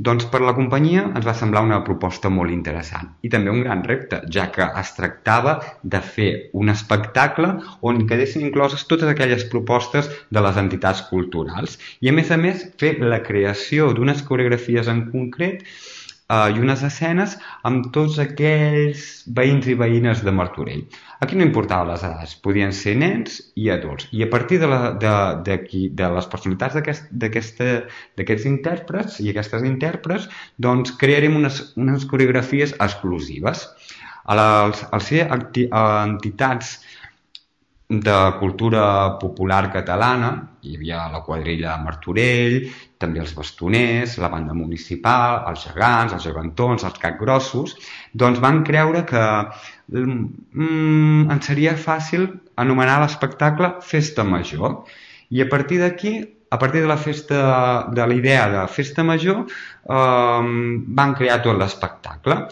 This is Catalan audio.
Doncs per la companyia ens va semblar una proposta molt interessant i també un gran repte, ja que es tractava de fer un espectacle on quedessin incloses totes aquelles propostes de les entitats culturals i a més fer la creació d'unes coreografies en concret i unes escenes amb tots aquells veïns i veïnes de Martorell. Aquí no importava les edats, podien ser nens i adults. I a partir de les personalitats d'aquests intèrprets i aquestes intèrprets, doncs crearem unes coreografies exclusives. Al ser entitats de cultura popular catalana, hi havia la quadrilla de Martorell, també els bastoners, la banda municipal, els gegants, els gegantons, els capgrossos, doncs van creure que ens seria fàcil anomenar l'espectacle Festa Major. I a partir d'aquí, a partir de la idea de Festa Major, van crear tot l'espectacle.